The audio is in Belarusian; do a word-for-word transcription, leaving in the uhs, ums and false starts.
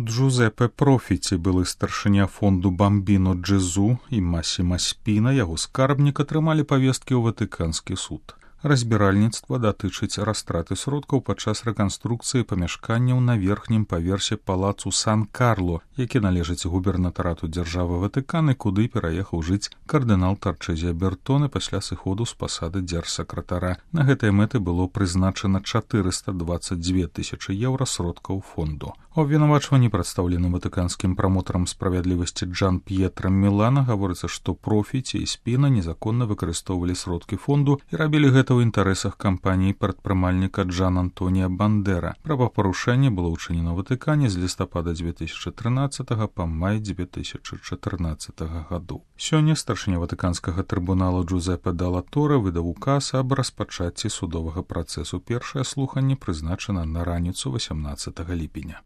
Джузепе Профіці, былы старшыня фонду Бамбіно Джезу, і Масіма Спіна, яго скарбнік, атрымалі павесткі ў Ватыканскі суд. Разбіральніцтва датычыць растраты сродкаў падчас рэканструкцыі памяшканняў на верхнім паверсе палацу Сан-Карло, які належыць губернатарату дзяржавы Ватыкан і куды пераехаў жыць кардынал Тарчэзі Бертоне пасля сыходу з пасады дзяржсакратара. На гэтыя мэты было прызначана чатырыста дваццаць дзве тысячы еўра сродкаў фонду. У абвінавачванні, прадстаўленым ватыканскім прамотарам справядлівасці Джан П'етрам Мілана, гаворыцца, што Профіці і Спіна незаконна выкарыстоўвалі сродкі фонду і рабілі гэта ў інтарэсах кампаніі прадпрымальніка Джан Антонія Бандера. Правапарушэнне было ўчынена ў Ватыкане з лістапада дзве тысячы трынаццатага па май дзве тысячы чатырнаццатага гадоў. Сёння старшыня ватыканскага трыбунала Джузепе Далла Торе выдаў указ аб распачацці судовага працэсу. Першае слуханне прызначана на раніцу васямнаццатага ліпеня.